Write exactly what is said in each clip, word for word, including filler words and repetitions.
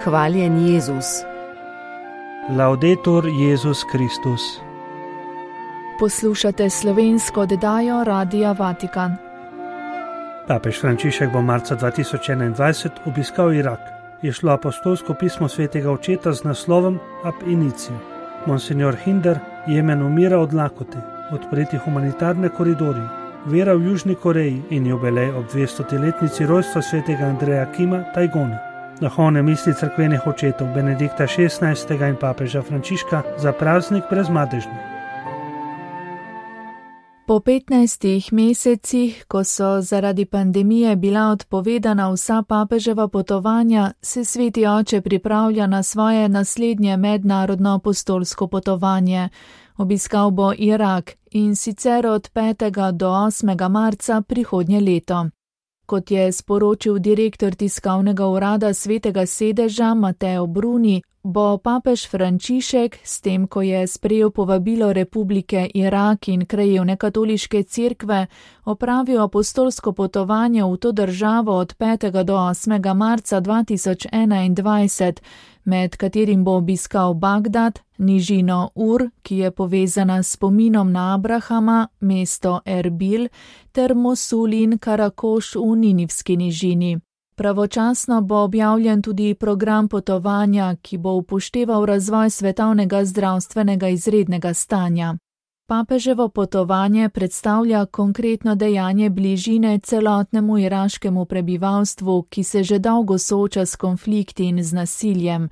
Hvaljen Jezus. Laudetur Jezus Kristus. Poslušate slovensko oddajo Radia Vatikan. Papež Frančišek bo marca dva tisoč enaindvajset obiskal Irak. Je šlo apostolsko pismo svetega očeta z naslovom Ab Initio. Monsignor Hinder, Jemen umira od lakote, odpreti humanitarne koridorji, vera v Južni Koreji in jubilej ob dvestoletnici rojstva svetega Andreja Kima Tajgona. Duhovne misli cerkvenih očetov Benedikta šestnajstega in papeža Frančiška za praznik brezmadežne. Po petnajstih mesecih, ko so zaradi pandemije bila odpovedana vsa papeževa potovanja, se sveti oče pripravlja na svoje naslednje mednarodno apostolsko potovanje. Obiskal bo Irak in sicer od petega do osmega marca prihodnje leto. Kot je sporočil direktor tiskovnega urada Svetega sedeža Mateo Bruni, bo papež Frančišek, s tem, ko je sprejel povabilo Republike Irak in krajevne katoliške cerkve, opravil apostolsko potovanje v to državo od petega do osmega marca dva tisoč enaindvajset, med katerim bo obiskal Bagdad, nižino Ur, ki je povezana s spominom na Abrahama, mesto Erbil, ter Mosul in Karakoš v Ninivski nižini. Pravočasno bo objavljen tudi program potovanja, ki bo upošteval razvoj svetovnega zdravstvenega izrednega stanja. Papeževo potovanje predstavlja konkretno dejanje bližine celotnemu iraškemu prebivalstvu, ki se že dolgo sooča s konflikti in z nasiljem.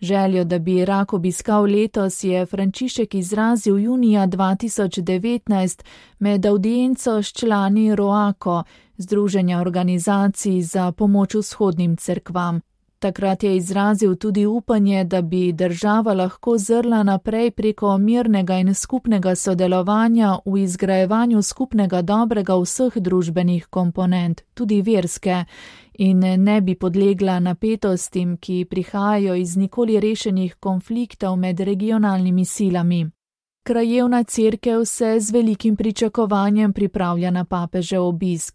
Željo, da bi Irak obiskal letos, je Frančišek izrazil junija dva tisoč devetnajst med avdienco s člani Roako, Združenja organizacij za pomoč vzhodnim cerkvam. Takrat je izrazil tudi upanje, da bi država lahko zrla naprej preko mirnega in skupnega sodelovanja v izgrajevanju skupnega dobrega vseh družbenih komponent, tudi verske, in ne bi podlegla napetostim, ki prihajajo iz nikoli rešenih konfliktov med regionalnimi silami. Krajevna cerkev se z velikim pričakovanjem pripravlja na papežev obisk.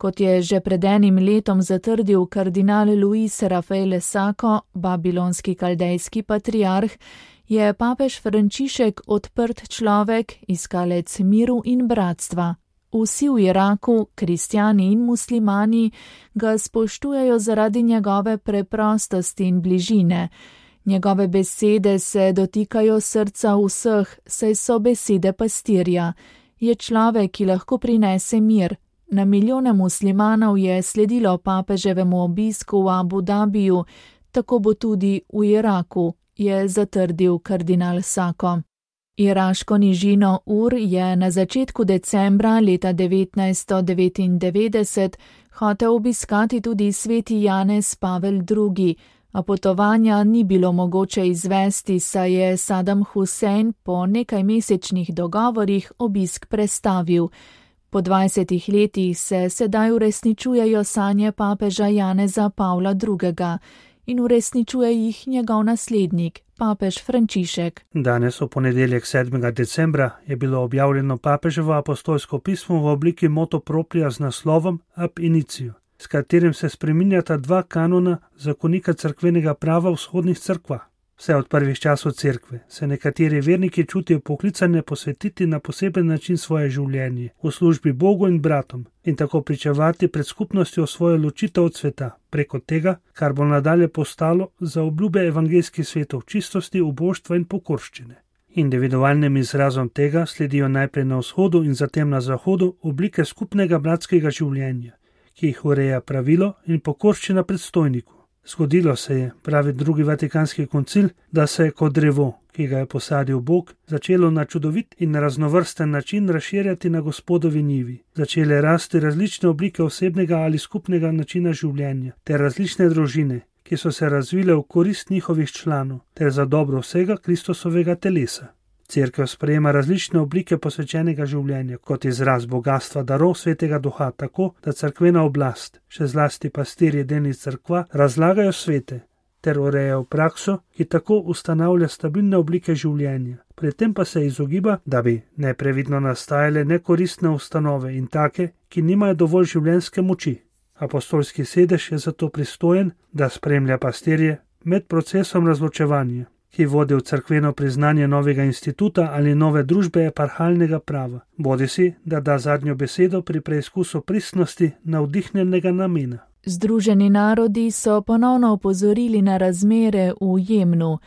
Kot je že pred enim letom zatrdil kardinal Luis Rafael Sako, babilonski kaldejski patriarh, je papež Frančišek odprt človek, iskalec miru in bratstva. Vsi v Iraku, kristjani in muslimani, ga spoštujejo zaradi njegove preprostosti in bližine. Njegove besede se dotikajo srca vseh, saj so besede pastirja. Je človek, ki lahko prinese mir. Na milijone muslimanov je sledilo papeževemu obisku v Abu Dabiju, tako bo tudi v Iraku, je zatrdil kardinal Sako. Iraško nižino Ur je na začetku decembra leta devetnajststo devetindevetdeset hotel obiskati tudi sveti Janez Pavel drugi, a potovanja ni bilo mogoče izvesti, saj je Sadam Husein po nekajmesečnih dogovorih obisk prestavil. Po dvajsetih letih se sedaj uresničujejo sanje papeža Janeza Pavla drugega in uresničuje jih njegov naslednik, papež Frančišek. Danes v ponedeljek sedmega decembra je bilo objavljeno papeževo apostolsko pismo v obliki motu propria z naslovom Ab Initio, s katerim se spreminjata dva kanona zakonika cerkvenega prava v vzhodnih cerkvah. Vse od prvih časov cerkve se nekateri verniki čutijo poklicane posvetiti na poseben način svoje življenje v službi Bogu in bratom in tako pričevati pred skupnostjo svojo ločitev od sveta preko tega, kar bo nadalje postalo za obljube evangeljskih svetov čistosti, ubožstva in pokorščine. Individualnim izrazom tega sledijo najprej na vzhodu in zatem na zahodu oblike skupnega bratskega življenja, ki jih ureja pravilo in pokorščina predstojniku. Zgodilo se je, pravi drugi vatikanski koncil, da se je kot drevo, ki ga je posadil Bog, začelo na čudovit in raznovrsten način razširjati na Gospodovi njivi. Začele rasti različne oblike osebnega ali skupnega načina življenja, ter različne družine, ki so se razvile v korist njihovih članov, ter za dobro vsega Kristusovega telesa. Cerkev sprejema različne oblike posvečenega življenja kot izraz bogatstva darov svetega duha tako, da cerkvena oblast, še zlasti pastirji delnic cerkva, razlagajo svete ter urejajo prakso, ki tako ustanavlja stabilne oblike življenja. Pri tem pa se izogiba, da bi neprevidno nastajale nekoristne ustanove in take, ki nimajo dovolj življenjske moči. Apostolski sedež je zato pristojen, da spremlja pastirje med procesom razločevanja, ki vodi v cerkveno priznanje novega instituta ali nove družbe eparhalnega prava, bodisi da da zadnjo besedo pri preizkusu pristnosti navdihnjenega namena. Združeni narodi so ponovno opozorili na razmere v Jemnu.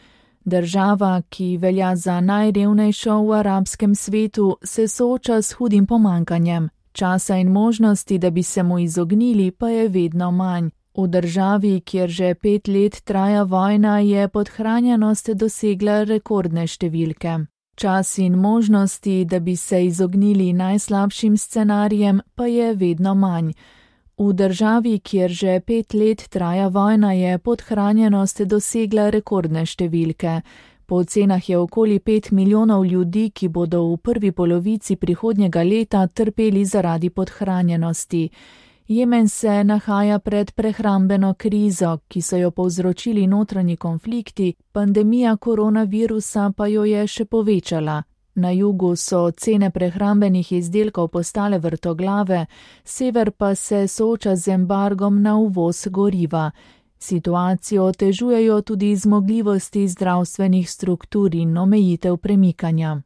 Država, ki velja za najrevnejšo v arabskem svetu, se sooča s hudim pomanjkanjem. Časa in možnosti, da bi se mu izognili, pa je vedno manj. V državi, kjer že pet let traja vojna, je podhranjenost dosegla rekordne številke. Čas in možnosti, da bi se izognili najslabšim scenarijem, pa je vedno manj. V državi, kjer že pet let traja vojna, je podhranjenost dosegla rekordne številke. Po ocenah je okoli pet milijonov ljudi, ki bodo v prvi polovici prihodnjega leta trpeli zaradi podhranjenosti. Jemen se nahaja pred prehrambeno krizo, ki so jo povzročili notranji konflikti, pandemija koronavirusa pa jo je še povečala. Na jugu so cene prehrambenih izdelkov postale vrtoglave, sever pa se sooča z embargom na uvoz goriva. Situacijo otežujejo tudi zmogljivosti zdravstvenih struktur in omejitev premikanja.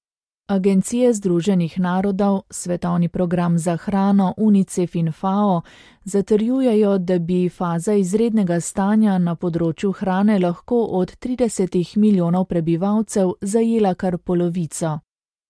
Agencije Združenih narodov, Svetovni program za hrano, UNICEF in FAO zatrjujejo, da bi faza izrednega stanja na področju hrane lahko od tridesetih milijonov prebivalcev zajela kar polovico.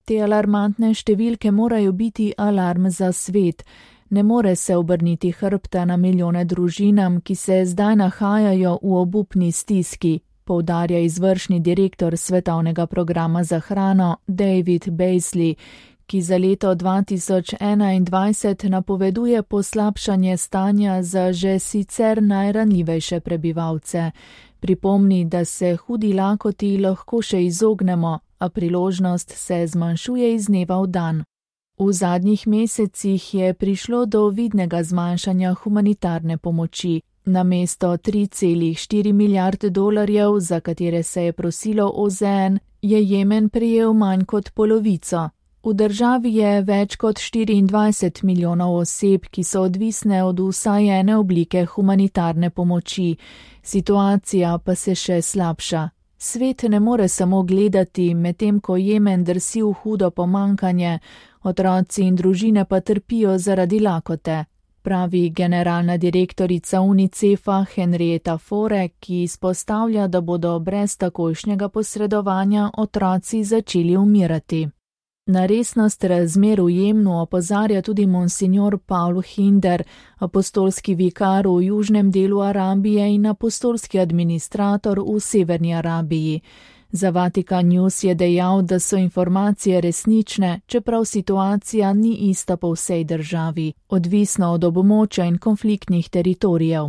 Te alarmantne številke morajo biti alarm za svet. Ne more se obrniti hrbta na milijone družinam, ki se zdaj nahajajo v obupni stiski, poudarja izvršni direktor Svetovnega programa za hrano David Beasley, ki za leto dva tisoč enaindvajset napoveduje poslabšanje stanja za že sicer najranljivejše prebivalce. Pripomni, da se hudi lakoti lahko še izognemo, a priložnost se zmanjšuje iz dneva v dan. V zadnjih mesecih je prišlo do vidnega zmanjšanja humanitarne pomoči. Namesto tri celih štiri milijarde dolarjev, za katere se je prosilo O Z N, je Jemen prejel manj kot polovico. V državi je več kot štiriindvajset milijonov oseb, ki so odvisne od vsaj ene oblike humanitarne pomoči. Situacija pa se še slabša. Svet ne more samo gledati, medtem ko Jemen drsi v hudo pomanjkanje, otroci in družine pa trpijo zaradi lakote, pravi generalna direktorica UNICEF-a Henrietta Fore, ki izpostavlja, da bodo brez takojšnjega posredovanja otroci začeli umirati. Na resnost razmer v Jemnu opozarja tudi monsignor Paul Hinder, apostolski vikar v južnem delu Arabije in apostolski administrator v severni Arabiji. Za Vatikan News je dejal, da so informacije resnične, čeprav situacija ni ista po vsej državi, odvisno od območja in konfliktnih teritorijev.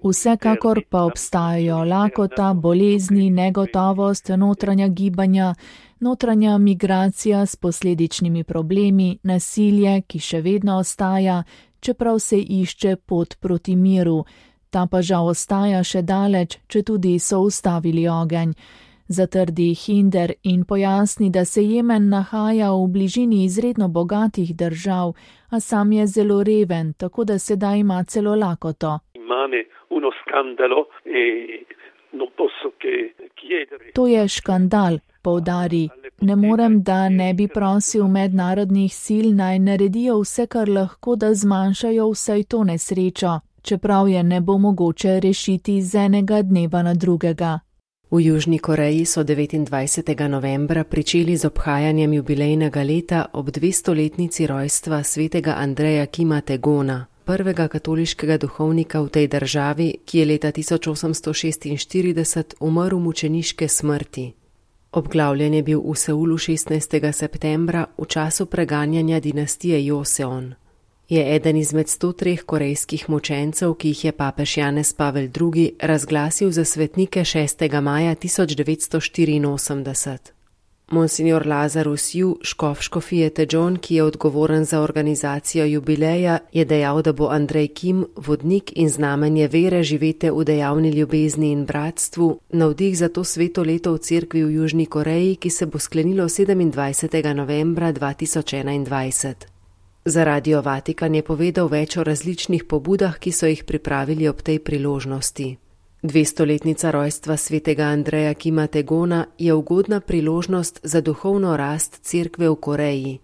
Vsekakor pa obstajajo lakota, bolezni, negotovost, notranja gibanja, notranja migracija s posledičnimi problemi, nasilje, ki še vedno ostaja, čeprav se išče pot proti miru. Ta pa žal ostaja še daleč, če tudi so ustavili ogenj. Zatrdi Hinder in pojasni, da se Jemen nahaja v bližini izredno bogatih držav, a sam je zelo reven, tako da sedaj ima celo lakoto. To je škandal, poudari. Ne morem, da ne bi prosil mednarodnih sil naj naredijo vse, kar lahko, da zmanjšajo vsaj to nesrečo, čeprav je ne bo mogoče rešiti z enega dneva na drugega. V Južni Koreji so devetindvajsetega novembra pričeli z obhajanjem jubilejnega leta ob dvestoletnici rojstva svetega Andreja Kima Tegona, prvega katoliškega duhovnika v tej državi, ki je leta tisoč osemsto šestinštirideset umrl mučeniške smrti. Obglavljen je bil v Seulu šestnajstega septembra v času preganjanja dinastije Joseon. Je eden izmed sto treh korejskih mučencev, ki jih je papež Janez Pavel drugi razglasil za svetnike šestega maja tisoč devetsto štiriinosemdeset. Monsignor Lazarus Yu, škof škofije Tedžon, ki je odgovoren za organizacijo jubileja, je dejal, da bo Andrej Kim, vodnik in znamenje vere živete v dejavni ljubezni in bratstvu, navdih za to sveto leto v cerkvi v Južni Koreji, ki se bo sklenilo sedemindvajsetega novembra dva tisoč enaindvajset. Za Radio Vatikan je povedal več o različnih pobudah, ki so jih pripravili ob tej priložnosti. Dvestoletnica rojstva svetega Andreja Kima Tegona je ugodna priložnost za duhovno rast cerkve v Koreji.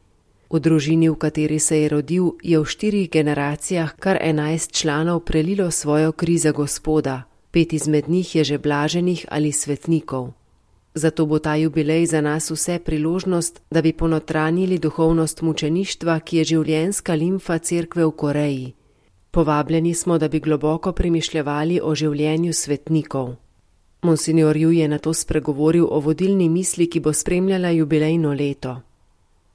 V družini, v kateri se je rodil, je v štirih generacijah kar enajst članov prelilo svojo kri za Gospoda, pet izmed njih je že blaženih ali svetnikov. Zato bo ta jubilej za nas vse priložnost, da bi ponotranjili duhovnost mučeništva, ki je življenjska limfa cerkve v Koreji. Povabljeni smo, da bi globoko premišljevali o življenju svetnikov. Monsignor Ju je nato spregovoril o vodilni misli, ki bo spremljala jubilejno leto.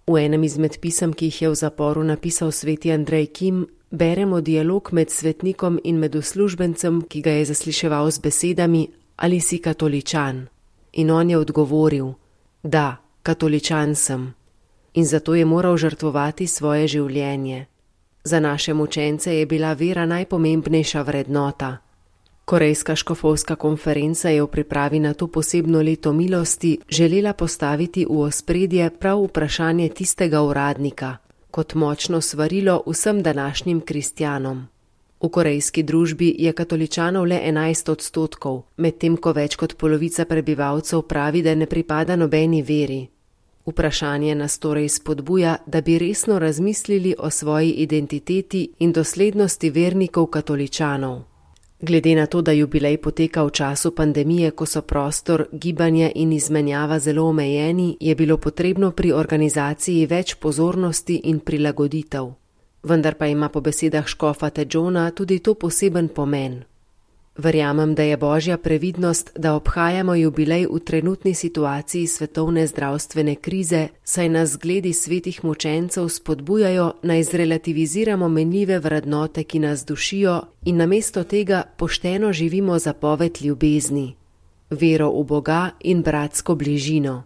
V enem izmed pisem, ki jih je v zaporu napisal sveti Andrej Kim, beremo dialog med svetnikom in med uslužbencem, ki ga je zasliševal z besedami: ali si katoličan? In on je odgovoril: da, katoličan sem. In zato je moral žrtvovati svoje življenje. Za naše mučence je bila vera najpomembnejša vrednota. Korejska škofovska konferenca je v pripravi na to posebno leto milosti želela postaviti v ospredje prav vprašanje tistega uradnika, kot močno svarilo vsem današnjim kristjanom. V korejski družbi je katoličanov le enajst odstotkov, medtem ko več kot polovica prebivalcev pravi, da ne pripada nobeni veri. Vprašanje nas torej spodbuja, da bi resno razmislili o svoji identiteti in doslednosti vernikov katoličanov. Glede na to, da jubilej poteka v času pandemije, ko so prostor, gibanje in izmenjava zelo omejeni, je bilo potrebno pri organizaciji več pozornosti in prilagoditev. Vendar pa ima po besedah škofa Tegona tudi to poseben pomen. Verjamem, da je božja previdnost, da obhajamo jubilej v trenutni situaciji svetovne zdravstvene krize, saj nas zgledi svetih mučencev spodbujajo, naj zrelativiziramo menljive vrednote, ki nas dušijo, in namesto tega pošteno živimo zapoved ljubezni, vero v Boga in bratsko bližino.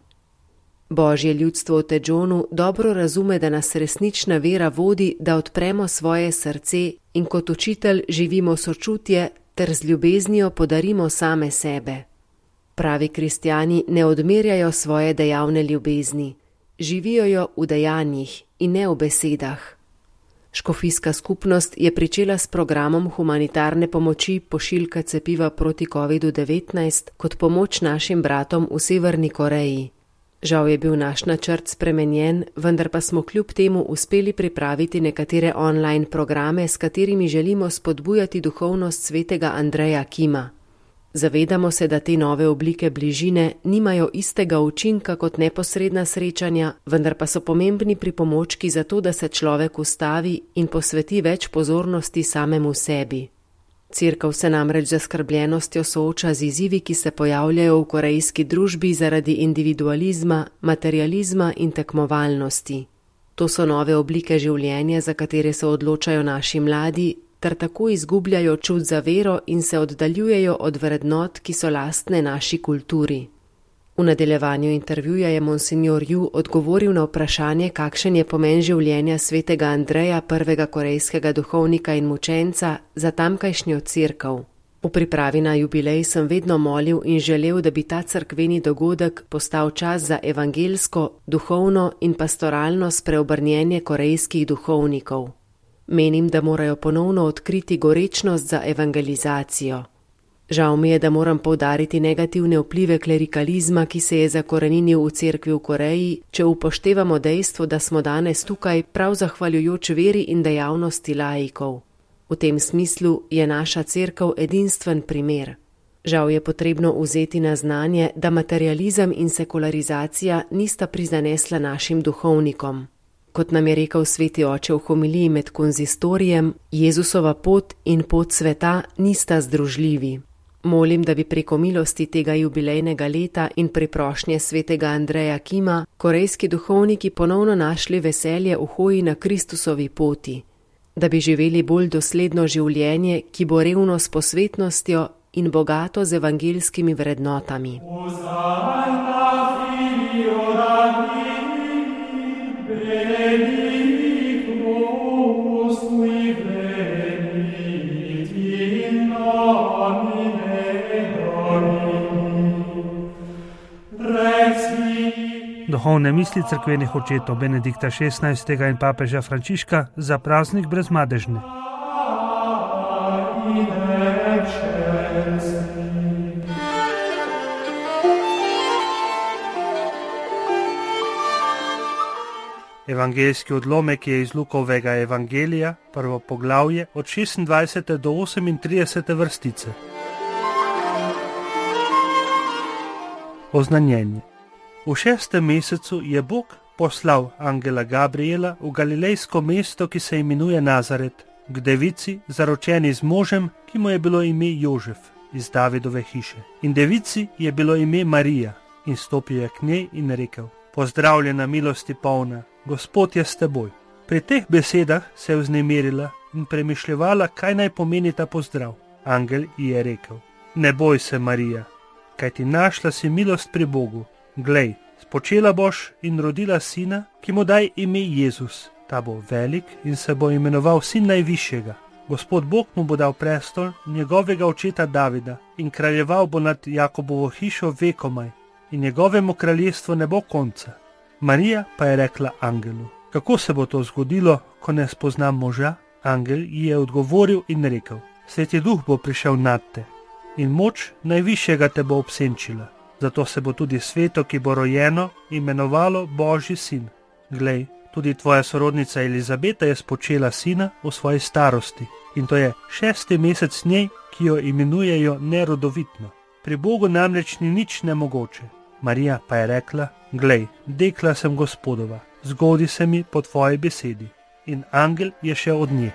Božje ljudstvo v Tegonu dobro razume, da nas resnična vera vodi, da odpremo svoje srce in kot učitelj živimo sočutje ter z ljubeznijo podarimo same sebe. Pravi kristjani ne odmerjajo svoje dejavne ljubezni, živijo jo v dejanjih in ne v besedah. Škofijska skupnost je pričela s programom humanitarne pomoči pošiljka cepiva proti kovidu devetnajst kot pomoč našim bratom v Severni Koreji. Žal je bil naš načrt spremenjen, vendar pa smo kljub temu uspeli pripraviti nekatere online programe, s katerimi želimo spodbujati duhovnost svetega Andreja Kima. Zavedamo se, da te nove oblike bližine nimajo istega učinka kot neposredna srečanja, vendar pa so pomembni pripomočki za to, da se človek ustavi in posveti več pozornosti samemu sebi. Cerkev se namreč z zaskrbljenostjo sooča z izzivi, ki se pojavljajo v korejski družbi zaradi individualizma, materializma in tekmovalnosti. To so nove oblike življenja, za katere se odločajo naši mladi, ter tako izgubljajo čut za vero in se oddaljujejo od vrednot, ki so lastne naši kulturi. V nadaljevanju intervjuja je monsignor Ju odgovoril na vprašanje, kakšen je pomen življenja svetega Andreja, prvega korejskega duhovnika in mučenca, za tamkajšnjo cerkev. V pripravi na jubilej sem vedno molil in želel, da bi ta cerkveni dogodek postal čas za evangelsko, duhovno in pastoralno spreobrnjenje korejskih duhovnikov. Menim, da morajo ponovno odkriti gorečnost za evangelizacijo. Žal mi je, da moram poudariti negativne vplive klerikalizma, ki se je zakoreninil v cerkvi v Koreji, če upoštevamo dejstvo, da smo danes tukaj prav zahvaljujoč veri in dejavnosti laikov. V tem smislu je naša cerkev edinstven primer. Žal je potrebno vzeti na znanje, da materializem in sekularizacija nista prizanesla našim duhovnikom. Kot nam je rekel sveti oče v homiliji med konzistorijem, Jezusova pot in pot sveta nista združljivi. Molim, da bi preko milosti tega jubilejnega leta in priprošnje svetega Andreja Kima korejski duhovniki ponovno našli veselje v hoji na Kristusovi poti, da bi živeli bolj dosledno življenje, ki bo revno s posvetnostjo in bogato z evangelskimi vrednotami. Duhovne misli cerkvenih očetov Benedikta šestnajstega in papeža Frančiška za praznik Brezmadežne. Evangeljski odlomek je iz Lukovega evangelija, prvo poglavje, od šestindvajsete do osemintridesete vrstice. Oznanjenje. V šestem mesecu je Bog poslal angela Gabriela v galilejsko mesto, ki se imenuje Nazaret, k devici, zaročeni z možem, ki mu je bilo ime Jožef, iz Davidove hiše. In devici je bilo ime Marija, in stopil je k njej in rekel: Pozdravljena, milosti polna, Gospod je s teboj. Pri teh besedah se je vznemirila in premišljevala, kaj naj pomeni ta pozdrav. Angel ji je rekel: Ne boj se, Marija, kajti našla si milost pri Bogu. Glej, spočela boš in rodila sina, ki mu daj ime Jezus. Ta bo velik in se bo imenoval sin najvišjega. Gospod Bog mu bo dal prestol njegovega očeta Davida in kraljeval bo nad Jakobovo hišo vekomaj in njegovemu kraljestvu ne bo konca. Marija pa je rekla angelu: Kako se bo to zgodilo, ko ne spoznam moža? Angel ji je odgovoril in rekel: Sveti duh bo prišel nad te in moč najvišjega te bo obsenčila. Zato se bo tudi sveto, ki bo rojeno, imenovalo Božji sin. Glej, tudi tvoja sorodnica Elizabeta je spočela sina v svoji starosti in to je šesti mesec njej, ki jo imenujejo nerodovitno. Pri Bogu namreč ni nič nemogoče. Marija pa je rekla: Glej, dekla sem Gospodova, zgodi se mi po tvoji besedi. In angel je šel od nje.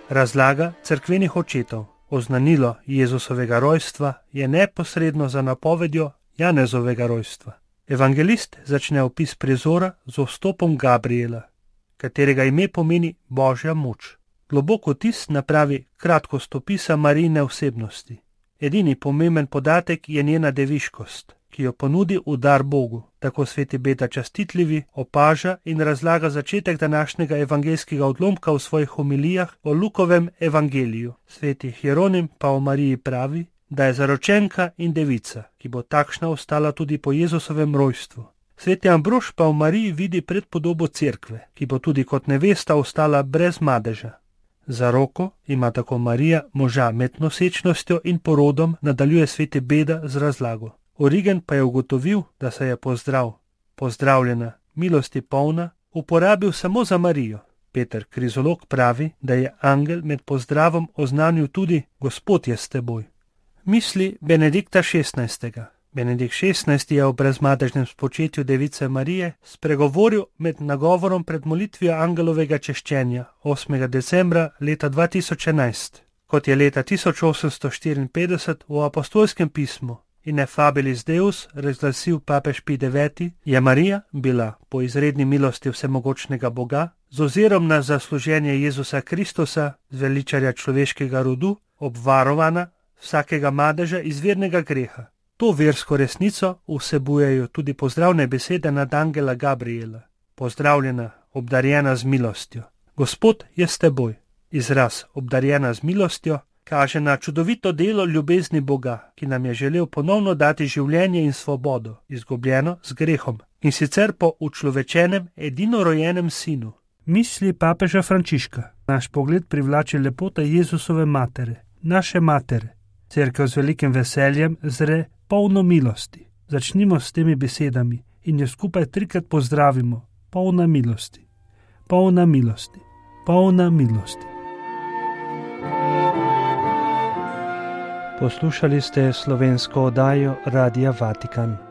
Razlaga cerkvenih očetov. Oznanilo Jezusovega rojstva je neposredno za napovedjo Janezovega rojstva. Evangelist začne opis prizora z vstopom Gabriela, katerega ime pomeni Božja moč. Globok vtis napravi kratkost opisa Marijine osebnosti. Edini pomemben podatek je njena deviškost, ki jo ponudi v dar Bogu. Tako sveti Beda Častitljivi opaža in razlaga začetek današnjega evangeljskega odlomka v svojih homilijah o Lukovem evangeliju. Sveti Hieronim pa o Mariji pravi, da je zaročenka in devica, ki bo takšna ostala tudi po Jezusovem rojstvu. Sveti Ambrož pa v Mariji vidi predpodobo cerkve, ki bo tudi kot nevesta ostala brez madeža. Za roko ima tako Marija moža med nosečnostjo in porodom, nadaljuje sveti Beda z razlago. Origen pa je ugotovil, da se je pozdrav, pozdravljena, milosti polna, uporabil samo za Marijo. Peter Krizolog pravi, da je angel med pozdravom oznanil tudi: Gospod je s teboj. Misli Benedikta šestnajstega. Benedikt šestnajsti je o brezmadežnem spočetju device Marije spregovoril med nagovorom pred molitvijo angelovega češčenja osmega decembra leta dva tisoč enajst. Kot je leta tisoč osemsto štiriinpetdeset v apostolskem pismu Ineffabilis Deus razglasil papež Pij deveti, je Marija bila po izredni milosti vsemogočnega Boga z ozirom na zasluženje Jezusa Kristusa, zveličarja človeškega rodu, obvarovana vsakega madeža izvirnega greha. To versko resnico vsebujejo tudi pozdravne besede nad angela Gabriela. Pozdravljena, obdarjena z milostjo. Gospod je s teboj. Izraz obdarjena z milostjo kaže na čudovito delo ljubezni Boga, ki nam je želel ponovno dati življenje in svobodo, izgubljeno z grehom, in sicer po učlovečenem edinorojenem sinu. Misli papeža Frančiška. Naš pogled privlači lepota Jezusove matere, naše matere. Cerkev z velikim veseljem zre polno milosti. Začnimo s temi besedami in jo skupaj trikrat pozdravimo. Polna milosti, polna milosti, polna milosti. Poslušali ste slovensko oddajo Radia Vatikan.